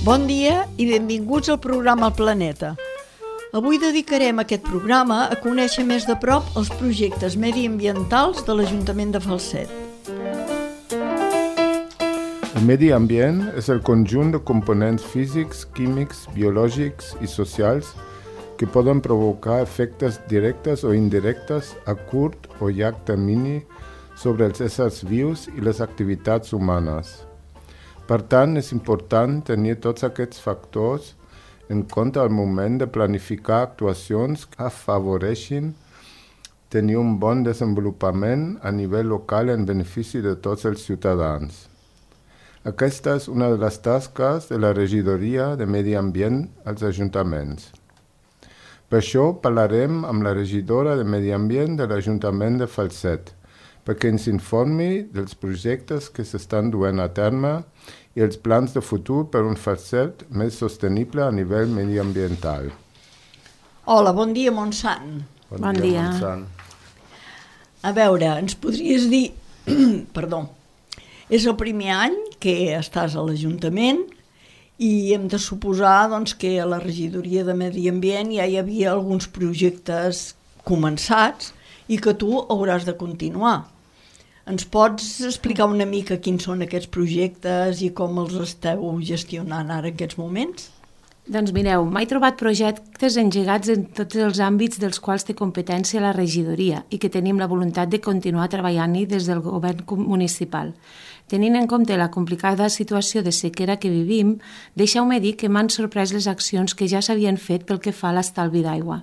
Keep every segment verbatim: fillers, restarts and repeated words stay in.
Bon dia i benvinguts al programa El Planeta. Avui dedicarem aquest programa a conèixer més de prop els projectes mediambientals de l'Ajuntament de Falset. El medi ambient és el conjunt de components físics, químics, biològics i socials que poden provocar efectes directes o indirectes a curt o llarg termini sobre els éssers vius i les activitats humanes. Per tant, és important tenir tots aquests factors en compte al moment de planificar actuacions que afavoreixin tenir un bon desenvolupament a nivell local en benefici de tots els ciutadans. Aquesta és una de les tasques de la regidoria de Medi Ambient als ajuntaments. Per això parlarem amb la regidora de Medi Ambient de l'Ajuntament de Falset, perquè ens informi dels projectes que s'estan duent a terme i els plans de futur per un Falset més sostenible a nivell mediambiental. Hola, bon dia, Montsant. Bon, bon dia, dia. Montsant. A veure, ens podries dir... Perdó. És el primer any que estàs a l'Ajuntament i hem de suposar doncs, que a la regidoria de Medi Ambient ja hi havia alguns projectes començats i que tu hauràs de continuar. Ens pots explicar una mica quins són aquests projectes i com els esteu gestionant ara en aquests moments? Doncs mireu, m'he trobat projectes engegats en tots els àmbits dels quals té competència la regidoria i que tenim la voluntat de continuar treballant-hi des del govern municipal. Tenint en compte la complicada situació de sequera que vivim, deixeu-me dir que m'han sorprès les accions que ja s'havien fet pel que fa a l'estalvi d'aigua.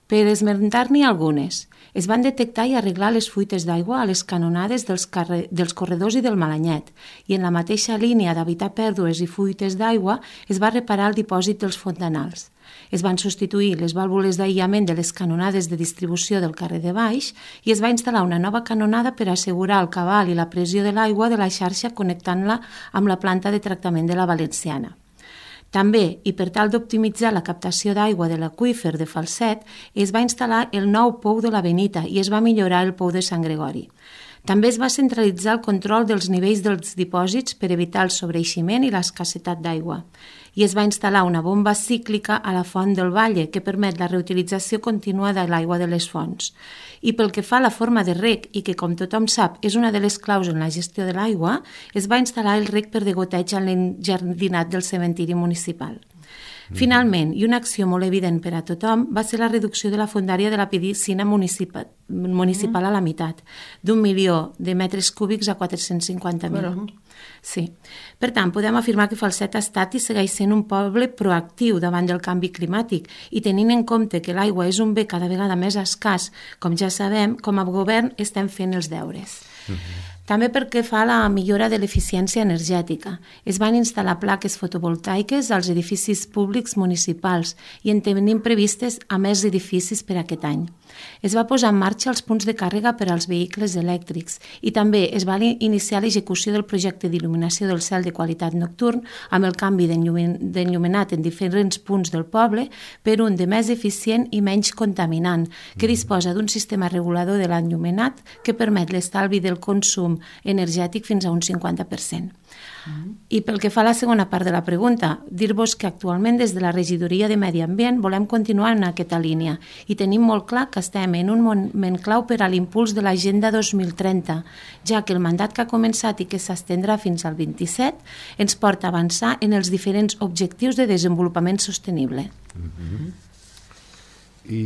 Per esmentar-n'hi algunes, es van detectar i arreglar les fuites d'aigua a les canonades dels, carre... dels corredors i del Malanyet, i en la mateixa línia d'evitar pèrdues i fuites d'aigua es va reparar el dipòsit dels fontanals. Es van substituir les vàlvules d'aïllament de les canonades de distribució del carrer de baix i es va instal·lar una nova canonada per assegurar el cabal i la pressió de l'aigua de la xarxa connectant-la amb la planta de tractament de la Valenciana. També, i per tal d'optimitzar la captació d'aigua de l'aqüífer de Falset, es va instal·lar el nou pou de la Benita i es va millorar el pou de Sant Gregori. També es va centralitzar el control dels nivells dels dipòsits per evitar el sobreeiximent i l'escassetat d'aigua. I es va instal·lar una bomba cíclica a la font del Valle que permet la reutilització contínua de l'aigua de les fonts. I pel que fa a la forma de reg, i que com tothom sap és una de les claus en la gestió de l'aigua, es va instal·lar el reg per degoteig en l'enjardinat del cementiri municipal. Finalment, i una acció molt evident per a tothom, va ser la reducció de la fondària de la piscina municipal, municipal a la meitat, d'un milió de metres cúbics a quatre-cents cinquanta mil. Sí. Per tant, podem afirmar que Falset ha estat i segueix sent un poble proactiu davant del canvi climàtic i tenint en compte que l'aigua és un bé cada vegada més escàs, com ja sabem, com a govern estem fent els deures. Uh-huh. També perquè fa la millora de l'eficiència energètica. Es van instal·lar plaques fotovoltaiques als edificis públics municipals i en tenim previstes a més edificis per aquest any. Es va posar en marxa els punts de càrrega per als vehicles elèctrics i també es va iniciar l'execució del projecte d'il·luminació del cel de qualitat nocturn amb el canvi d'enllumenat en diferents punts del poble per un de més eficient i menys contaminant, que disposa d'un sistema regulador de l'enllumenat que permet l'estalvi del consum energètic fins a un cinquanta per cent. Mm. I pel que fa a la segona part de la pregunta, dir-vos que actualment des de la regidoria de Medi Ambient volem continuar en aquesta línia i tenim molt clar que estem en un moment clau per a l'impuls de l'Agenda dos mil trenta, ja que el mandat que ha començat i que s'estendrà fins al vint-i-set ens porta a avançar en els diferents objectius de desenvolupament sostenible. Mm-hmm. I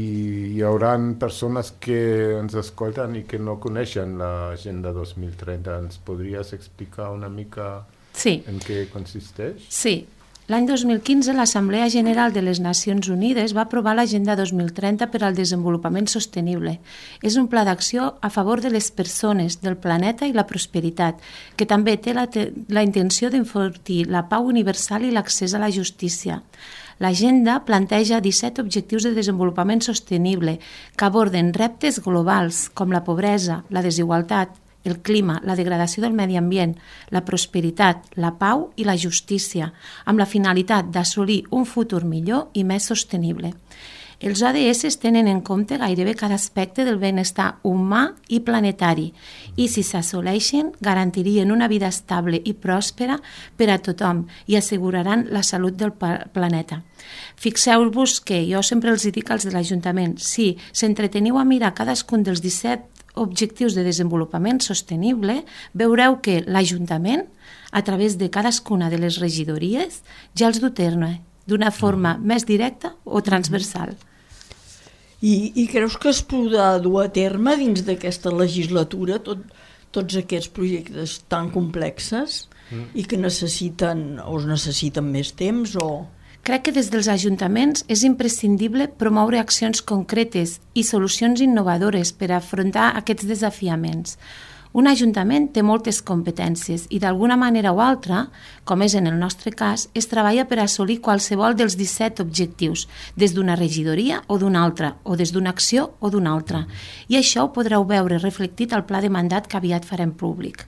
hi haurà persones que ens escolten i que no coneixen l'Agenda dos mil trenta. Ens podries explicar una mica sí. en què consisteix? Sí. L'any dos mil quinze, l'Assemblea General de les Nacions Unides va aprovar l'Agenda dos mil trenta per al desenvolupament sostenible. És un pla d'acció a favor de les persones, del planeta i la prosperitat, que també té la, te- la intenció d'enfortir la pau universal i l'accés a la justícia. L'agenda planteja disset objectius de desenvolupament sostenible que aborden reptes globals com la pobresa, la desigualtat, el clima, la degradació del medi ambient, la prosperitat, la pau i la justícia, amb la finalitat d'assolir un futur millor i més sostenible. Els O D S tenen en compte gairebé cada aspecte del benestar humà i planetari i, si s'assoleixen, garantirien una vida estable i pròspera per a tothom i asseguraran la salut del planeta. Fixeu-vos que jo sempre els dic als de l'Ajuntament, si s'entreteniu a mirar cadascun dels disset objectius de desenvolupament sostenible, veureu que l'Ajuntament, a través de cadascuna de les regidories, ja els du a terme d'una forma més directa o transversal. I, i creus que es podrà dur a terme dins d'aquesta legislatura tot, tots aquests projectes tan complexes mm. i que necessiten o es necessiten més temps? O... Crec que des dels ajuntaments és imprescindible promoure accions concretes i solucions innovadores per a afrontar aquests desafiaments. Un ajuntament té moltes competències i d'alguna manera o altra, com és en el nostre cas, es treballa per assolir qualsevol dels disset objectius, des d'una regidoria o d'una altra, o des d'una acció o d'una altra. I això ho podreu veure reflectit al pla de mandat que aviat farem públic.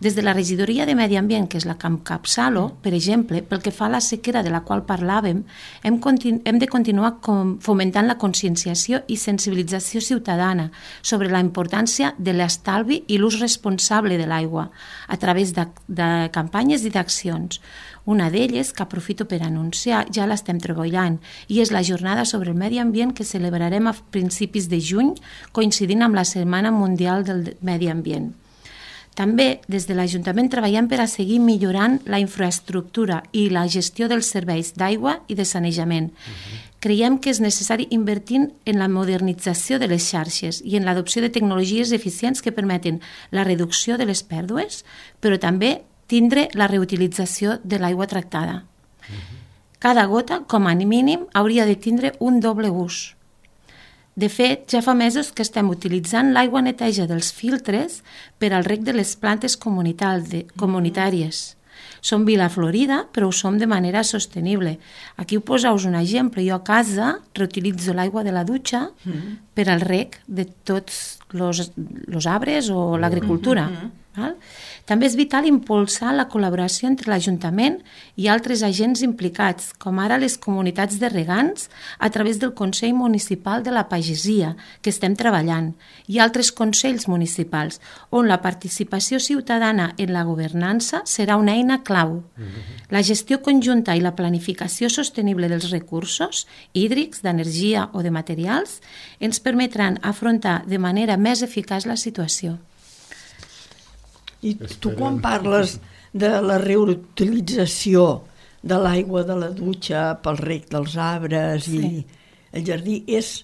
Des de la regidoria de Medi Ambient, que és la que encapçalo, per exemple, pel que fa a la sequera de la qual parlàvem, hem, continu- hem de continuar com fomentant la conscienciació i sensibilització ciutadana sobre la importància de l'estalvi i l'ús responsable de l'aigua a través de, de campanyes i d'accions. Una d'elles, que aprofito per anunciar, ja l'estem treballant, i és la jornada sobre el medi ambient que celebrarem a principis de juny, coincidint amb la Setmana Mundial del Medi Ambient. També, des de l'Ajuntament, treballem per a seguir millorant la infraestructura i la gestió dels serveis d'aigua i de sanejament. Uh-huh. Creiem que és necessari invertir en la modernització de les xarxes i en l'adopció de tecnologies eficients que permeten la reducció de les pèrdues, però també tindre la reutilització de l'aigua tractada. Uh-huh. Cada gota, com a mínim, hauria de tindre un doble ús. De fet, ja fa mesos que estem utilitzant l'aigua neteja dels filtres per al reg de les plantes comunitàries. Som Vila Florida, però ho som de manera sostenible. Aquí ho poseu un exemple. Jo a casa reutilitzo l'aigua de la dutxa mm-hmm. per al reg de tots els arbres o l'agricultura. Mm-hmm. Val? També és vital impulsar la col·laboració entre l'Ajuntament i altres agents implicats, com ara les comunitats de regants a través del Consell Municipal de la Pagesia, que estem treballant, i altres consells municipals, on la participació ciutadana en la governança serà una eina clau. La gestió conjunta i la planificació sostenible dels recursos hídrics, d'energia o de materials ens permetran afrontar de manera més eficaç la situació. I tu quan parles de la reutilització de l'aigua de la dutxa pel reg dels arbres sí. i el jardí, és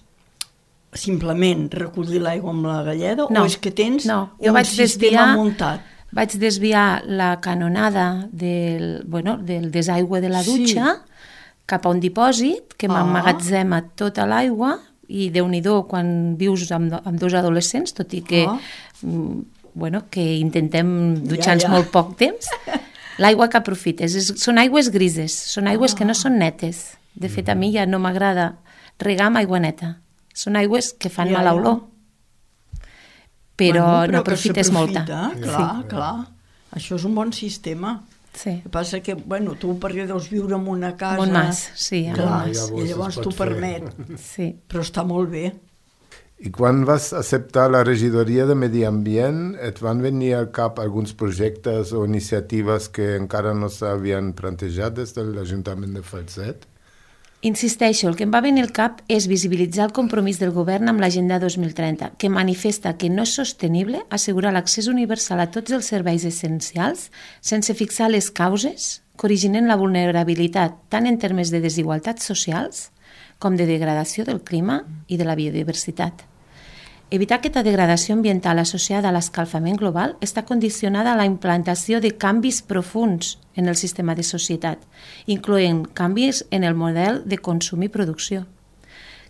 simplement recollir l'aigua amb la galleda no, o és que tens no. un vaig sistema desviar, muntat? Vaig desviar la canonada del, bueno, del desaigüe de la dutxa sí. cap a un dipòsit que ah. m'emmagatzema tota l'aigua i Déu-n'hi-do quan vius amb, amb dos adolescents, tot i que... Ah. Bueno, que intentem dutxar-nos ja, ja. molt poc temps, l'aigua que aprofites. És, són aigües grises, són aigües ah. que no són netes. De fet, a mi ja no m'agrada regar amb aigua neta. Són aigües que fan ja, mala olor. Però, bueno, però no aprofites molta. Clar, sí. clar. Això és un bon sistema. Sí. El que passa que, bueno, tu perquè deus viure en una casa... Montmas, sí. Clar, ja, i llavors t'ho permet. Sí. Però està molt bé. I quan vas acceptar la regidoria de Medi Ambient, et van venir al cap alguns projectes o iniciatives que encara no s'havien plantejat des de l'Ajuntament de Falset? Insisteixo, el que em va venir al cap és visibilitzar el compromís del govern amb l'Agenda dos mil trenta, que manifesta que no és sostenible assegurar l'accés universal a tots els serveis essencials sense fixar les causes que originen la vulnerabilitat tant en termes de desigualtats socials com de degradació del clima i de la biodiversitat. Evitar aquesta degradació ambiental associada a l'escalfament global està condicionada a la implantació de canvis profunds en el sistema de societat, incloent canvis en el model de consum i producció,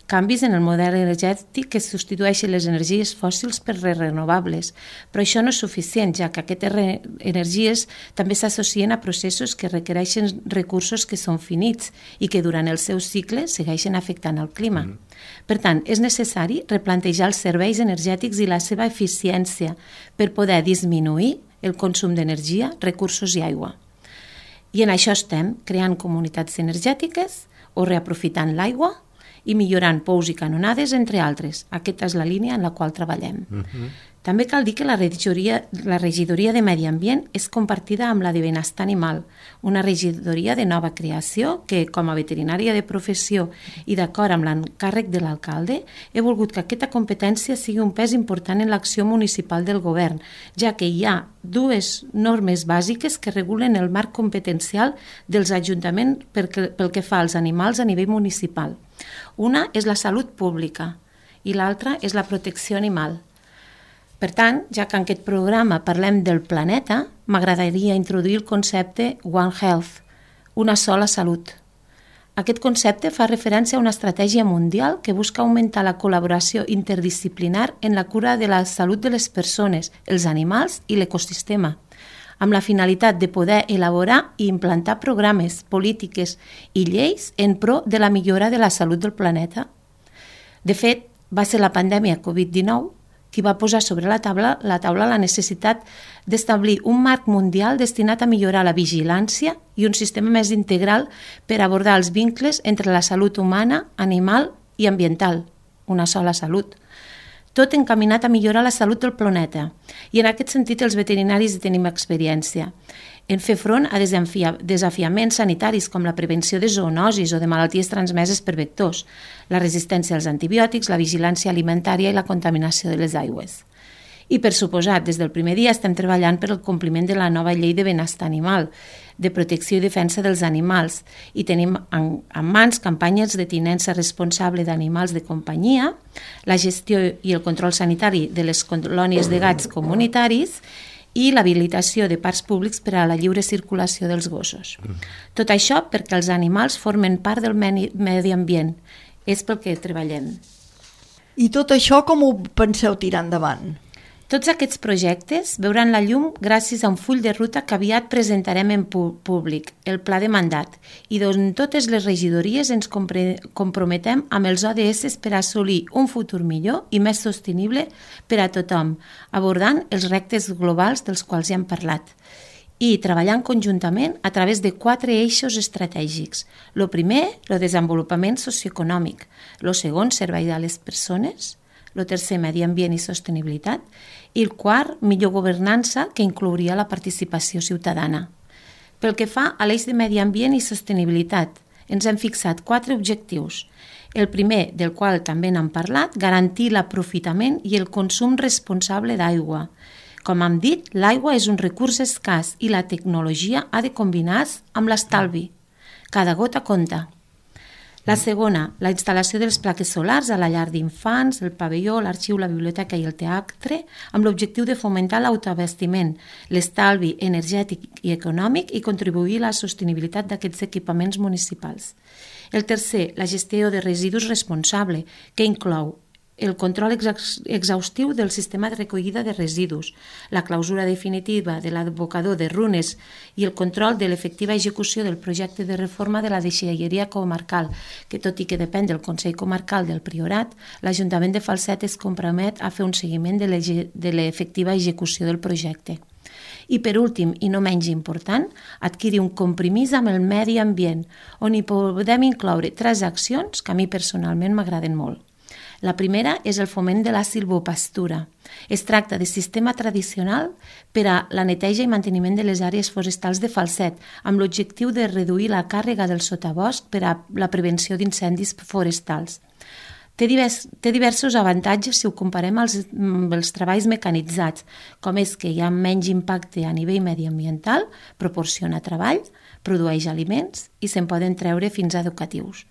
canvis en el model energètic que substitueixen les energies fòssils per les renovables, però això no és suficient, ja que aquestes energies també s'associen a processos que requereixen recursos que són finits i que durant el seu cicle segueixen afectant el clima. Mm. Per tant, és necessari replantejar els serveis energètics i la seva eficiència per poder disminuir el consum d'energia, recursos i aigua. I en això estem creant comunitats energètiques o reaprofitant l'aigua i millorant pous i canonades, entre altres. Aquesta és la línia en la qual treballem. Uh-huh. També cal dir que la regidoria, la regidoria de Medi Ambient és compartida amb la de Benestar Animal, una regidoria de nova creació que, com a veterinària de professió i d'acord amb l'encàrrec de l'alcalde, he volgut que aquesta competència sigui un pes important en l'acció municipal del govern, ja que hi ha dues normes bàsiques que regulen el marc competencial dels ajuntaments pel que fa als animals a nivell municipal. Una és la salut pública i l'altra és la protecció animal. Per tant, ja que en aquest programa parlem del planeta, m'agradaria introduir el concepte One Health, una sola salut. Aquest concepte fa referència a una estratègia mundial que busca augmentar la col·laboració interdisciplinar en la cura de la salut de les persones, els animals i l'ecosistema, amb la finalitat de poder elaborar i implantar programes, polítiques i lleis en pro de la millora de la salut del planeta. De fet, va ser la pandèmia covid dinou qui va posar sobre la taula, la taula la necessitat d'establir un marc mundial destinat a millorar la vigilància i un sistema més integral per abordar els vincles entre la salut humana, animal i ambiental, una sola salut. Tot encaminat a millorar la salut del planeta. I en aquest sentit els veterinaris tenim experiència en fer front a desafiaments sanitaris com la prevenció de zoonosis o de malalties transmeses per vectors, la resistència als antibiòtics, la vigilància alimentària i la contaminació de les aigües. I, per suposat, des del primer dia estem treballant per al compliment de la nova llei de benestar animal, de protecció i defensa dels animals, i tenim en, en mans campanyes de tinença responsable d'animals de companyia, la gestió i el control sanitari de les colònies de gats comunitaris i l'habilitació de parcs públics per a la lliure circulació dels gossos. Tot això perquè els animals formen part del medi ambient. És pel que treballem. I tot això com ho penseu tirar endavant? Tots aquests projectes veuran la llum gràcies a un full de ruta que aviat presentarem en públic, el Pla de Mandat, i d'on totes les regidories ens comprometem amb els O D S per assolir un futur millor i més sostenible per a tothom, abordant els reptes globals dels quals ja hem parlat, i treballant conjuntament a través de quatre eixos estratègics. Lo primer, el desenvolupament socioeconòmic. Lo segon, servei a les persones. Lo tercer, medi ambient i sostenibilitat. I el quart, millor governança, que inclouria la participació ciutadana. Pel que fa a l'eix de medi ambient i sostenibilitat, ens hem fixat quatre objectius. El primer, del qual també n'hem parlat, garantir l'aprofitament i el consum responsable d'aigua. Com hem dit, l'aigua és un recurs escàs i la tecnologia ha de combinar-se amb l'estalvi. Cada gota compta. La segona, la instal·lació de les plaques solars a la llar d'infants, el pavelló, l'arxiu, la biblioteca i el teatre, amb l'objectiu de fomentar l'autoabastiment, l'estalvi energètic i econòmic i contribuir a la sostenibilitat d'aquests equipaments municipals. El tercer, la gestió de residus responsable, que inclou el control exhaustiu del sistema de recollida de residus, la clausura definitiva de l'abocador de runes i el control de l'efectiva execució del projecte de reforma de la deixalleria comarcal, que tot i que depèn del Consell Comarcal del Priorat, l'Ajuntament de Falset es compromet a fer un seguiment de l'efectiva execució del projecte. I per últim, i no menys important, adquirir un compromís amb el medi ambient, on hi podem incloure tres accions que a mi personalment m'agraden molt. La primera és el foment de la silvopastura. Es tracta de sistema tradicional per a la neteja i manteniment de les àrees forestals de Falset, amb l'objectiu de reduir la càrrega del sotabosc per a la prevenció d'incendis forestals. Té, divers, té diversos avantatges si ho comparem als, amb els treballs mecanitzats, com és que hi ha menys impacte a nivell mediambiental, proporciona treball, produeix aliments i se'n poden treure fins a educatius.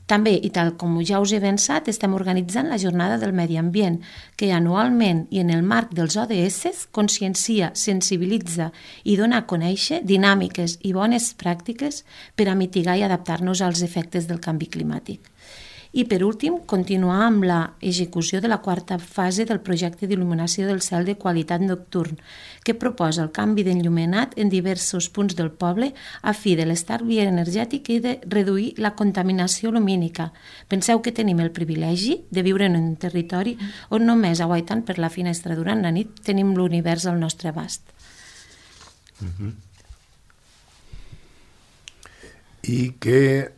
També, i tal com ja us he avançat, estem organitzant la Jornada del Medi Ambient, que anualment i en el marc dels O D S consciencia, sensibilitza i dona a conèixer dinàmiques i bones pràctiques per a mitigar i adaptar-nos als efectes del canvi climàtic. I, per últim, continuar amb la execució de la quarta fase del projecte d'il·luminació del cel de qualitat nocturn, que proposa el canvi d'enllumenat en diversos punts del poble a fi de l'estalvi energètic i de reduir la contaminació lumínica. Penseu que tenim el privilegi de viure en un territori on només aguaitant per la finestra durant la nit tenim l'univers al nostre abast. Mm-hmm. I què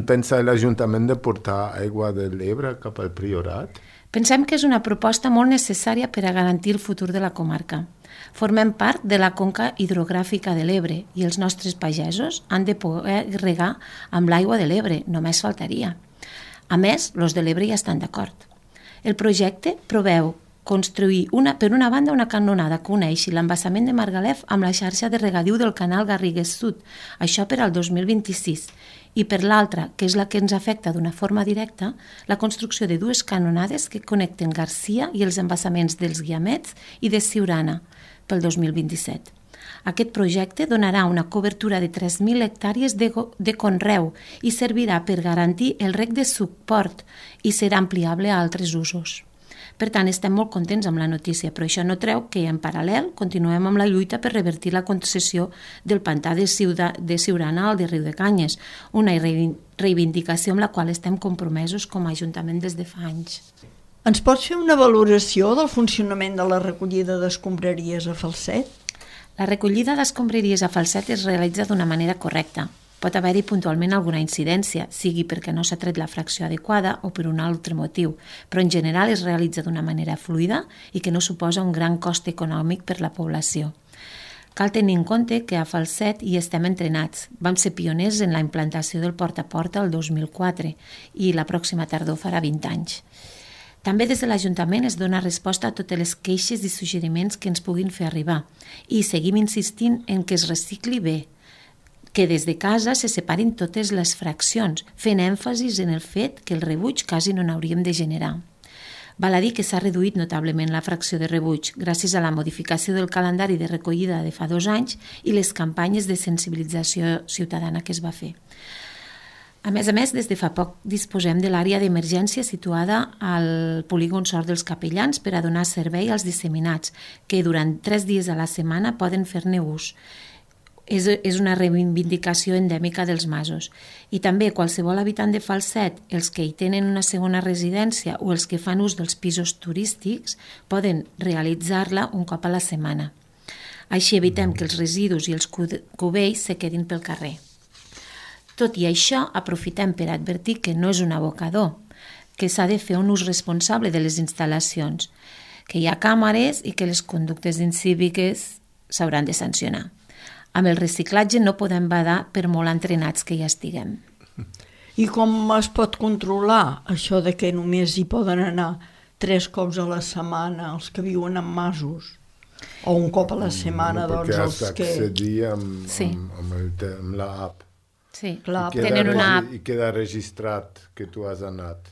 pensa l'Ajuntament de portar aigua de l'Ebre cap al Priorat? Pensem que és una proposta molt necessària per a garantir el futur de la comarca. Formem part de la conca hidrogràfica de l'Ebre i els nostres pagesos han de poder regar amb l'aigua de l'Ebre, només faltaria. A més, els de l'Ebre ja estan d'acord. El projecte preveu construir una, per una banda una canonada que uneixi l'embassament de Margalef amb la xarxa de regadiu del canal Garrigues Sud, això per al dos mil vint-i-sis, i per l'altra, que és la que ens afecta d'una forma directa, la construcció de dues canonades que connecten Garcia i els embassaments dels Guiamets i de Siurana pel dos mil vint-i-set. Aquest projecte donarà una cobertura de tres mil hectàrees de, de conreu i servirà per garantir el reg de suport i serà ampliable a altres usos. Per tant, estem molt contents amb la notícia, però això no treu que, en paral·lel, continuem amb la lluita per revertir la concessió del pantà de, Ciuda, de Siurana al de Riu de Canyes, una reivindicació amb la qual estem compromesos com a Ajuntament des de fa anys. Ens pots fer una valoració del funcionament de la recollida d'escombraries a Falset? La recollida d'escombraries a Falset es realitza d'una manera correcta. Pot haver-hi puntualment alguna incidència, sigui perquè no s'ha tret la fracció adequada o per un altre motiu, però en general es realitza d'una manera fluida i que no suposa un gran cost econòmic per la població. Cal tenir en compte que a Falset hi estem entrenats. Vam ser pioners en la implantació del porta a porta el dos mil quatre i la pròxima tardor farà vint anys. També des de l'Ajuntament es dona resposta a totes les queixes i suggeriments que ens puguin fer arribar i seguim insistint en que es recicli bé, que des de casa se separin totes les fraccions, fent èmfasis en el fet que el rebuig quasi no n'hauríem de generar. Val a dir que s'ha reduït notablement la fracció de rebuig gràcies a la modificació del calendari de recollida de fa dos anys i les campanyes de sensibilització ciutadana que es va fer. A més a més, des de fa poc disposem de l'àrea d'emergència situada al polígon Sort dels Capellans per a donar servei als disseminats, que durant tres dies a la setmana poden fer-ne ús. És, és una reivindicació endèmica dels masos. I també qualsevol habitant de Falset, els que hi tenen una segona residència o els que fan ús dels pisos turístics, poden realitzar-la un cop a la setmana. Així evitem que els residus i els cubells se quedin pel carrer. Tot i això, aprofitem per advertir que no és un abocador, que s'ha de fer un ús responsable de les instal·lacions, que hi ha càmeres i que les conductes incíviques s'hauran de sancionar. Amb el reciclatge no podem badar per molt entrenats que ja estiguem. I com es pot controlar això de que només hi poden anar tres cops a la setmana els que viuen en masos? O un cop a la setmana, no, doncs, els que... Perquè has d'accedir amb, sí. amb, amb, el, amb l'app. Sí, clar, I queda, tenen una app. I queda registrat que tu has anat.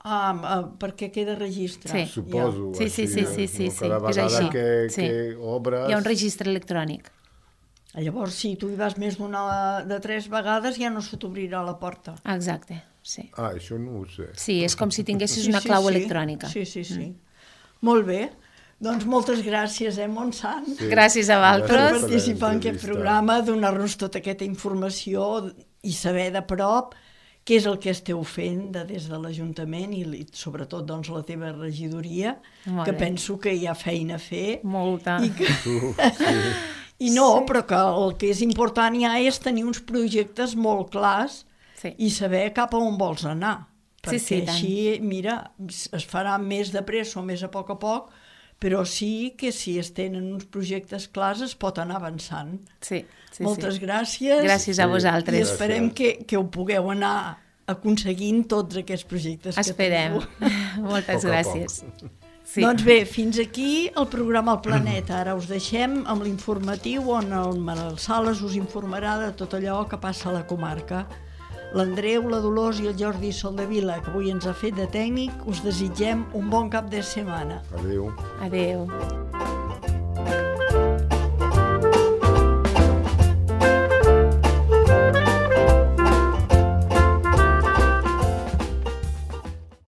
Ah, perquè queda registrat. Sí. Suposo. Sí, sí, sí, sí, sí, sí, cada és vegada així. que, Sí. que obres... Hi ha un registre electrònic. Llavors, si tu hi vas més d'una de tres vegades, ja no se t'obrirà la porta. Exacte, sí. Ah, això no ho sé. Sí, és com si tinguessis Sí, una sí, clau sí. electrònica. Sí, sí, sí. Mm. Molt bé. Doncs moltes gràcies, eh, Montsant, Sí. Gràcies a per vosaltres. participar en aquest programa, donar-nos tota aquesta informació i saber de prop què és el que esteu fent de, des de l'Ajuntament i, i sobretot doncs, la teva regidoria, Molt que bé. penso que hi ha feina a fer. Molta. I, que... Uh, sí. I no, sí. Però que el que és important ja és tenir uns projectes molt clars Sí. i saber cap a on vols anar. Perquè Sí, sí, tant. així, mira, es farà més de pressa o més a poc a poc, però sí que si es tenen uns projectes clars es pot anar avançant. Sí, sí, Moltes sí. gràcies. Gràcies a I vosaltres. esperem que, que ho pugueu anar aconseguint tots aquests projectes Esperem. que teniu. Moltes Poc a gràcies. Sí. Doncs bé, fins aquí el programa El Planeta. Ara us deixem amb l'informatiu on el Manel Sales us informarà de tot allò que passa a la comarca. L'Andreu, la Dolors i el Jordi Soldevila, que avui ens ha fet de tècnic, us desitgem un bon cap de setmana. Adéu. Adéu.